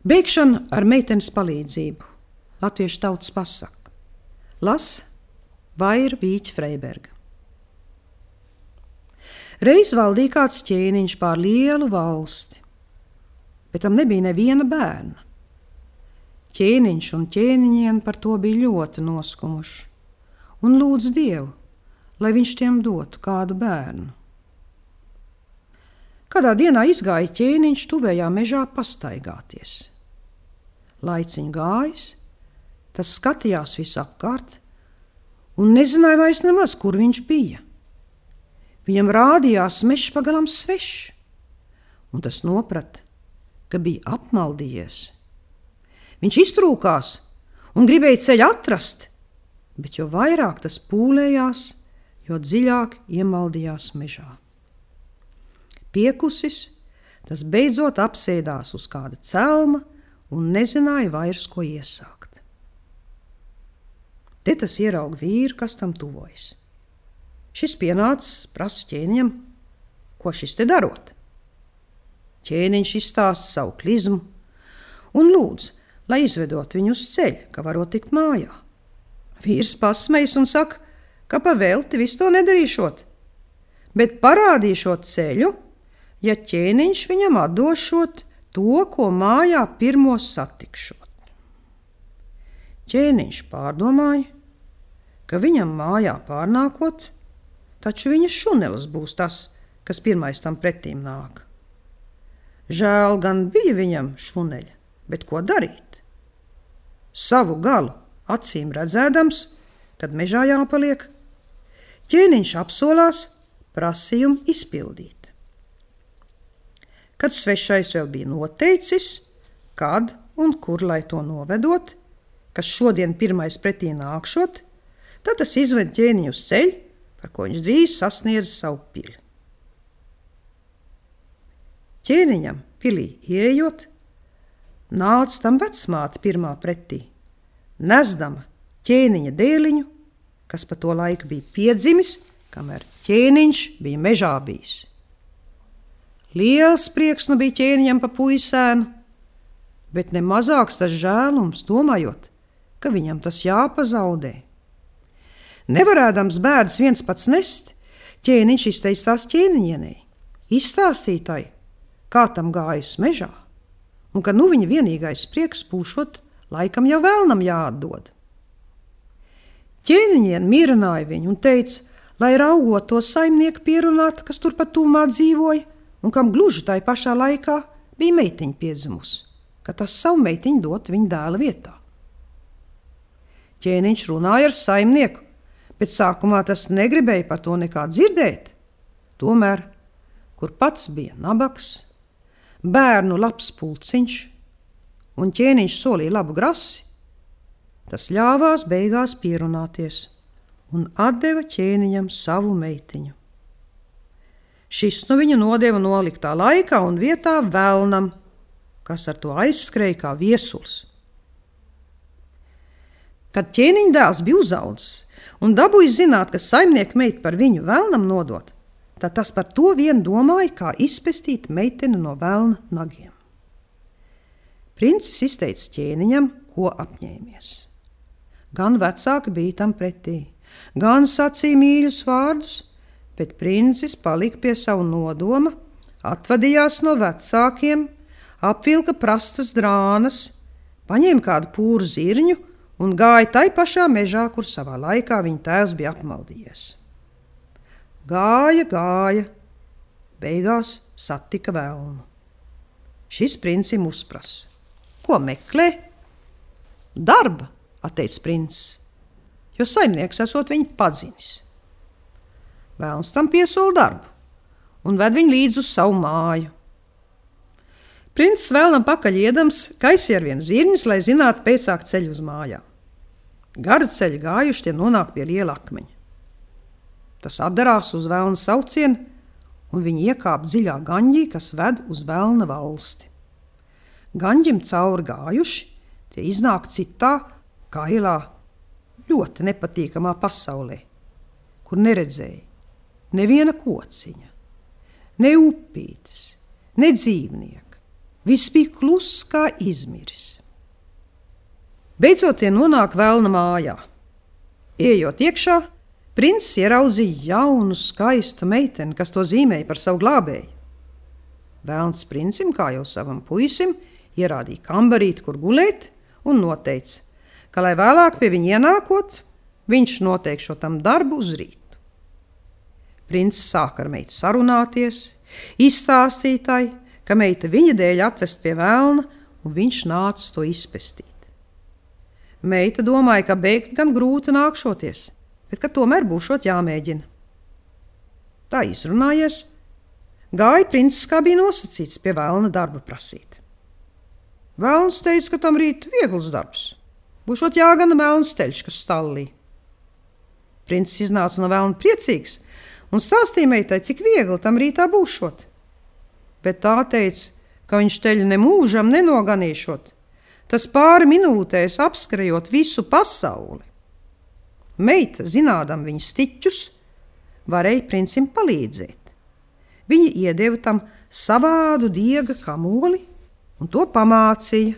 Beigšana ar meitenes palīdzību. Latviešu tautas pasaka. Las Vaira Vīķa Freiberga. Reiz valdīja kāds ķēniņš pār lielu valsti, bet tam nebija neviena bērna. Ķēniņš un ķēniņiene par to bija ļoti noskumuši un lūdz Dievu, lai viņš tiem dotu kādu bērnu. Kādā dienā izgāja ķēniņš tuvējā mežā pastaigāties. Laiciņš gājis, tas skatījās visapkārt un nezināja vairs nemaz, kur viņš bija. Viņam rādījās mežs pagalam svešs, un tas noprata, ka bija apmaldījies. Viņš iztrūkās un gribēja ceļu atrast, bet jo vairāk tas pūlējās, jo dziļāk iemaldījās mežā. Piekusis, tas beidzot apsēdās uz kāda celma un nezināja vairs, ko iesākt. Te tas ierauga vīru, kas tam tuvojas. Šis pienācis, prasa ķēniņam, ko šis te darot. Ķēniņš izstāsta savu klizmu un lūdz, lai izvedot viņu uz ceļa, ka varot tikt mājā. Vīrs pasmejas un saka, ka pa velti visu to nedarīšot, bet parādīšot ceļu, ja ķēniņš viņam atdošot to, ko mājā pirmo satikšot. Ķēniņš pārdomāja, ka viņam mājā pārnākot, taču viņa šunelis būs tas, kas pirmais tam pretīm nāk. Žēl gan bija viņam šuneļa, bet ko darīt? Savu galu acīm redzēdams, kad mežā jāpaliek, ķēniņš apsolās prasījumu izpildīt. Kad svešais vēl bija noteicis, kad un kur lai to novedot, kas šodien pirmais pretī nākšot, tad tas izved ķēniņu uz ceļu, par ko viņš drīz sasniedz savu pili. Ķēniņam pilī ieejot, nāca tam vecmāte pirmā pretī, nesdama ķēniņa dēliņu, kas pa to laiku bija piedzimis, kamēr ķēniņš bija mežā bijis. Liels prieks nu bija ķēniņam pa puisēnu, bet ne mazāks tas žēlums, domājot, ka viņam tas jāpazaudē. Nevarēdams bēdas viens pats nest, ķēniņš izteicās ķēniņienei, izstāstītai, kā tam gājis mežā, un ka nu viņa vienīgais prieks būšot, laikam jau vēlnam jāatdod. Ķēniņiene mierināja viņu un teica, lai raugot to saimnieku pierunāt, kas turpat tūmā dzīvoja, un kam gluži tai pašā laikā bija meitiņa piedzimusi, ka tas savu meitiņu dot viņa dēla vietā. Ķēniņš runāja ar saimnieku, bet sākumā tas negribēja par to nekā dzirdēt. Tomēr, kur pats bija nabaks, bērnu labs pulciņš un ķēniņš solīja labu grasi, tas ļāvās beigās pierunāties un atdeva ķēniņam savu meitiņu. Šis nu viņu nodeva noliktā laikā un vietā velnam, kas ar to aizskrēja kā viesuls. Kad ķēniņa dēls bija uzaudzis un dabūja zināt, ka saimnieka meita par viņu velnam nodot, tad tas par to vien domāja, kā izpestīt meiteni no velna nagiem. Princis izteica ķēniņam, ko apņēmies. Gan vecāki bija tam pretī, gan sacīja mīļus vārdus, bet princis palika pie savu nodoma, atvadījās no vecākiem, apvilka prastas drānas, paņēma kādu pūru zirņu un gāja tai pašā mežā, kur savā laikā viņa tēvs bija apmaldījies. Gāja, beigās satika velnu. Šis princim uzprasa. Ko meklē? Darba, atteica princis, jo saimnieks esot viņu padzinis. Velns tam piesola darbu un ved viņu līdz uz savu māju. Princis vēlnam pakaļ iedams kaisīja ar vien zirņus, lai zinātu pēcāk ceļu uz mājām. Garu ceļu gājuši tie nonāk pie liela akmeņa. Tas atdarās uz velna saucienu, un viņi iekāp dziļā gaņģī, kas ved uz velna valsti. Gaņģim cauri gājuši, tie iznāk citā, kailā, ļoti nepatīkamā pasaulē, kur neredzēja neviena kociņa, ne upītes, ne dzīvnieka, Viss bija kluss kā izmiris. Beidzot tie nonāk velna mājā. Ejot iekšā, princis ieraudzīja jaunu, skaistu meiteni, kas to zīmēja par savu glābēju. Velns princim, kā jau savam puisim, ierādīja kambarīti, kur gulēt, un noteica, ka, lai vēlāk pie viņa ienākot, viņš noteikšo tam darbu uz rītu. Princis sāka ar meitu sarunāties, izstāstītāji, ka meita viņa dēļ atvest pie velna, un viņš nāca to izpestīt. Meita domāja, ka beigt gan grūti nākšoties, bet ka tomēr būšot jāmēģina. Tā izrunājies, gāja princis, kā bija nosacīts, pie velna darba prasīt. Velns teica, ka tam rīt viegls darbs, būšot jāgana melns teļš, kas stallī. Princis iznāca no velna priecīgs un stāstīja meitai, cik viegli tam rītā būšot. Bet tā teica, ka viņš teļu nemūžam nenoganīšot, tas pāri minūtēs apskrējot visu pasauli. Meita, zinādam viņas stiķus, varēja princim palīdzēt. Viņa iedeva tam savādu diega kamoli un to pamācīja,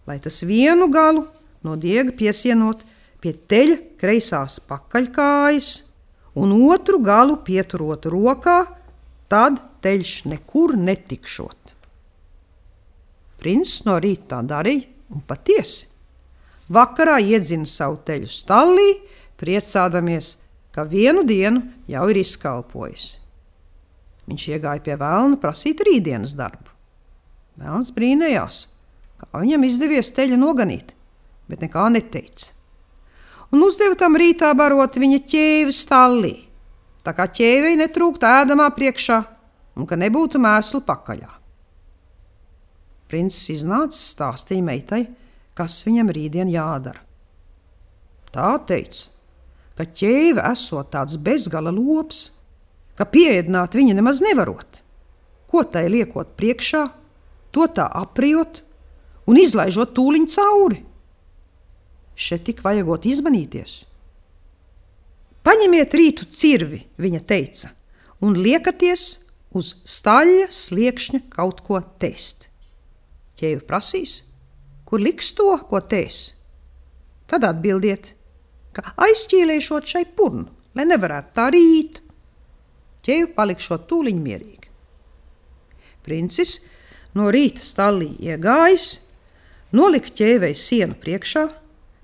lai tas vienu galu no diega piesienot pie teļa kreisās pakaļkājas un otru galu pieturot rokā, tad teļš nekur netikšot. Princis no rīta tā darīja, un patiesi. Vakarā iedzina savu teļu stallī, priecādamies, ka vienu dienu jau ir izkalpojis. Viņš iegāja pie velna prasīt rītdienas darbu. Velns brīnējās, kā viņam izdevies teļa noganīt, bet nekā neteica. Un uzdeva tam rītā barot viņa ķēvi stallī, tā kā ķēvei netrūkt ēdamā priekšā un ka nebūtu mēslu pakaļā. Princis iznāca, stāstīja meitai, kas viņam rītdien jādara. Tā teica, ka ķēve esot tāds bezgala lops, ka pieēdināt viņa nemaz nevarot. Ko tai liekot priekšā, to tā aprijot un izlaižot tūliņ cauri. Šeit tik vajagot izmanīties. Paņemiet rītu cirvi, viņa teica, un liekaties uz staļļa sliekšņa kaut ko tēst. Ķēve prasīs, kur liks to, ko tēs. Tad atbildiet, ka aizķīlēšot šai purnu, lai nevarētu tā rīt. Ķēve palikšot tūliņ mierīgi. Princis no rīta stallī iegājis, nolika ķēvei sienu priekšā,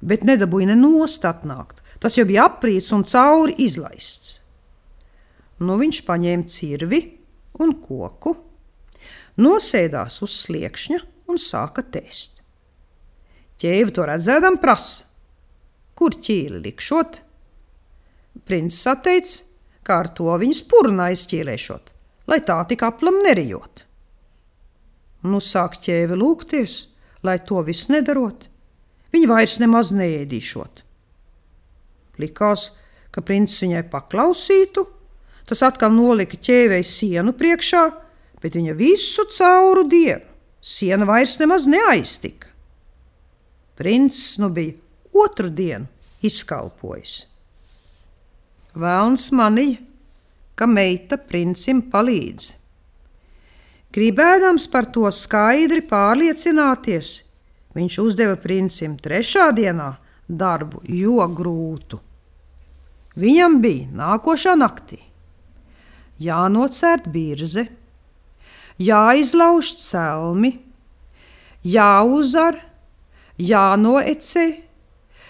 bet nedabūja ne nost atnākt. Tas jau bija aprīts un cauri izlaists. Nu viņš paņēma cirvi un koku, nosēdās uz sliekšņa un sāka tēst. Ķēve to redzēdam prasa, kur ķīli likšot. Princis atteica, kā ar to viņas purnā izķīlēšot, lai tā tik aplam nerijot. Nu sāk ķēve lūgties, lai to visu nedarot. Viņa vairs nemaz neēdīšot. Likās, ka princis viņai paklausītu, tas atkal nolika ķēvei sienu priekšā, bet viņa visu cauru dienu siena vairs nemaz neaiztika. Princis nu bija otru dienu izkalpojis. Velns manīja, ka meita princim palīdz. Gribēdams par to skaidri pārliecināties, viņš uzdeva princim trešā dienā darbu jo grūtu. Viņam bija nākošā naktī jānocērt birze, jāizlauž celmi, jāuzar, jānoecē,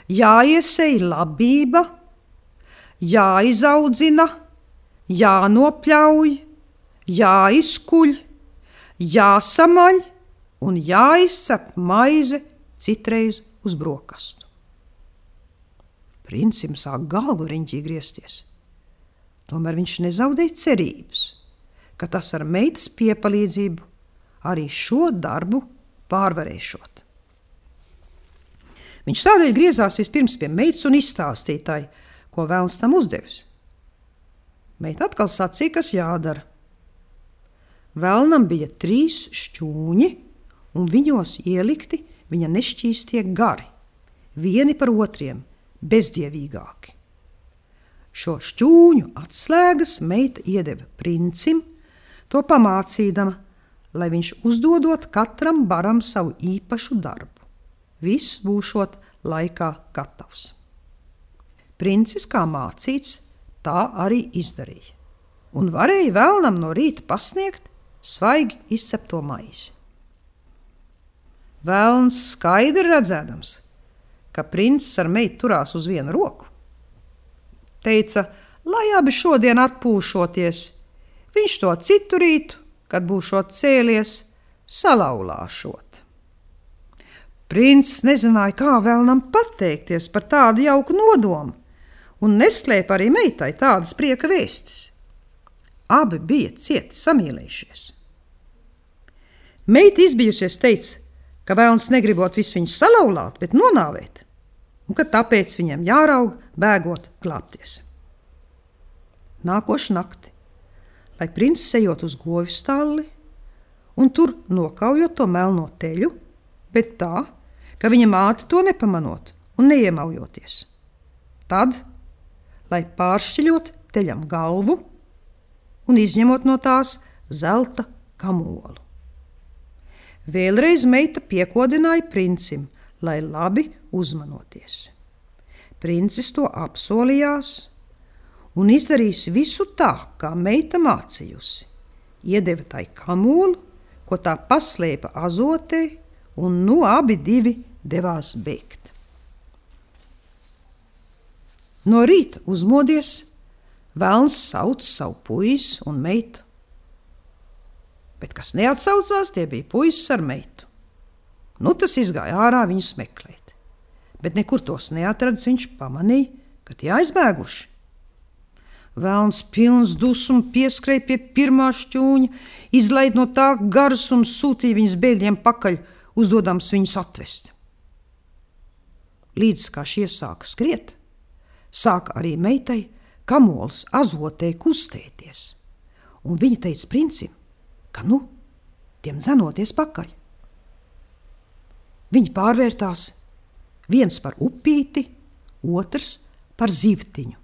jāiesej labība, jāizaudzina, jānopļauj, jāizkuļ, jāsamaļ un jāizcep maize citreiz uz brokastu. Princim sāk galvu riņķī griezties. Tomēr viņš nezaudēja cerības, ka tas ar meitas piepalīdzību arī šo darbu pārvarēšot. Viņš tādēļ griezās vispirms pie meitas un izstāstītāji, ko velns tam uzdevis. Meita atkal sacīja, kas jādara. Velnam bija 3 šķūņi, un viņos ielikti viņa nešķīstie gari, vieni par otriem, bezdievīgāki. Šo šķūņu atslēgas meita iedeva princim, to pamācīdama, lai viņš uzdodot katram baram savu īpašu darbu. Viss būšot laikā gatavs. Princis, kā mācīts, tā arī izdarīja, un varēja vēlnam no rīta pasniegt svaigi izcepto maizi. Vēlns skaidri redzēdams, ka princis ar meitu turās uz vienu roku, teica, lai abi šodien atpūšoties, viņš to citu rītu, kad būšot cēlies, salauzāšot. Princis nezināja, kā vēlnam pateikties par tādu jauku nodomu, un neslēpa arī meitai tādas prieka vēstis. Abi bija cieti samīlējušies. Meita izbijusies teica, ka vēlns negribot visu viņus salauzāt, bet nonāvēt, un ka tāpēc viņam jāraug bēgot glābties. Nākošu nakti, lai princis ejot uz govju stalli un tur nokaujot to melno teļu, bet tā, ka viņa māte to nepamanot un neiemaujoties. Tad, lai pāršķiļot teļam galvu un izņemot no tās zelta kamolu. Vēlreiz meita piekodināja princim, lai labi uzmanoties. Princis to apsolījās un izdarīs visu tā, kā meita mācījusi. Iedeva tai kamolu, ko tā paslēpa azotē, un nu abi divi devās bēgt. No rīta uzmodies, vēlns sauc savu puisi un meitu. Bet kas neatsaucās, tie bija puisis ar meitu. Nu tas izgāja ārā viņus meklēt, bet nekur tos neatradis, viņš pamanīja, ka tie aizbēguši. Vēlns pilns dusmu pieskrēja pie pirmā šķūņa, izlaid no tā garus un sūtīja viņus bēgļiem pakaļ, uzdodams viņus atvest. Līdz kā šie sāka skriet, sāka arī meitai kamols azotē kustēties, un viņa teica princim, ka tiem dzenoties pakaļ. Viņi pārvērtās, viens par upīti, otrs par zivtiņu.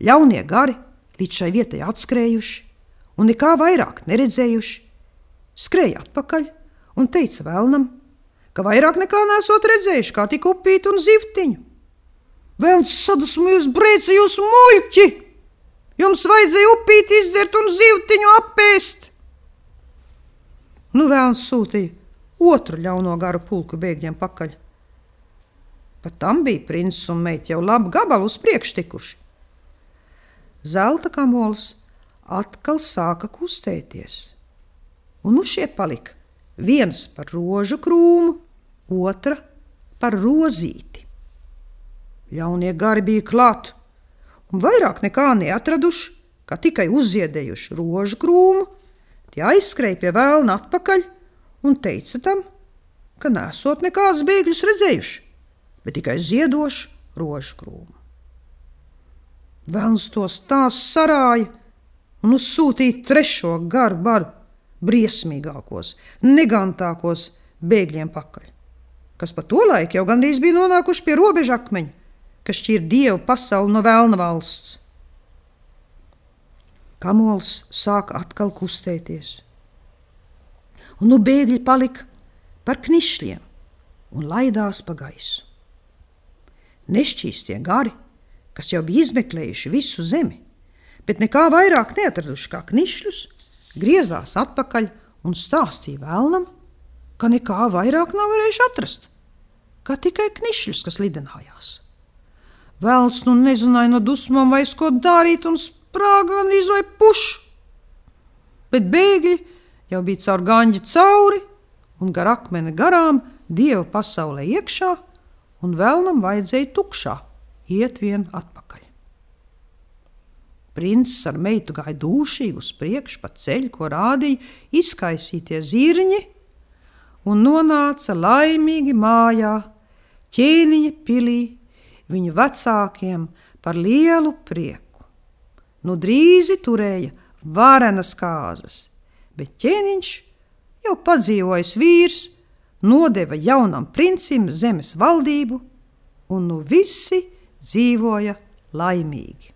Ļaunie gari līdz šai vietai atskrējuši un nekā vairāk neredzējuši, skrēja atpakaļ un teica vēlnam, ka vairāk nekā nesot redzējuši, kā tik upīti un zivtiņu. Vēlns sadusmojies, brēca jūs muļķi! Jums vajadzēja upīti izdzert un zivtiņu apēst! Nu vēlns sūtīja otru ļauno garu pulku bēgļiem pakaļ. Pat tam bija princis un meita jau labu gabalu uz priekšu tikuši. Zelta kamols atkal sāka kustēties, un šie palika viens par rožu krūmu, otra par rozīti. Ļaunie gari bija klāt, un vairāk nekā neatraduši, kā tikai uzziedējuši rožu krūmu, tie aizskrēja pie vēlna atpakaļ un teica tam, ka nesot nekādus bēgļus redzējuši, bet tikai ziedošu rožu krūmu. Vēlns tos tās sarāja un uzsūtīja trešo garu baru, briesmīgākos, negantākos bēgļiem pakaļ, kas pa to laiku jau gandrīz bija nonākuši pie robeža akmeņa, kas šķir dievu pasauli no velna valsts. Kamols sāka atkal kustēties, un bēgļi palika par knišļiem un laidās pa gaisu. Nešķīstie gari, kas jau bija izmeklējuši visu zemi, bet nekā vairāk neatraduši kā knišļus, griezās atpakaļ un stāstīja vēlnam, ka nekā vairāk nav varējuši atrast, kā tikai knišļus, kas lidenājās. Vēlns nezināja no dusmām vairs ko darīt un sprāga gandrīz vai pušu, bet bēgļi jau bija caur gaņģi cauri un gar akmeni garām dieva pasaulē iekšā, un vēlnam vajadzēja tukšā iet vien atpakaļ. Princis ar meitu gāja dūšīgi uz priekšu pa ceļu, ko rādīja izkaisītie zirņi, un nonāca laimīgi mājā, ķēniņa pilī, viņu vecākiem par lielu prieku. Nu drīzi turēja varenas kāzas, bet ķēniņš, jau padzīvojis vīrs, nodeva jaunam princim zemes valdību, un visi dzīvoja laimīgi.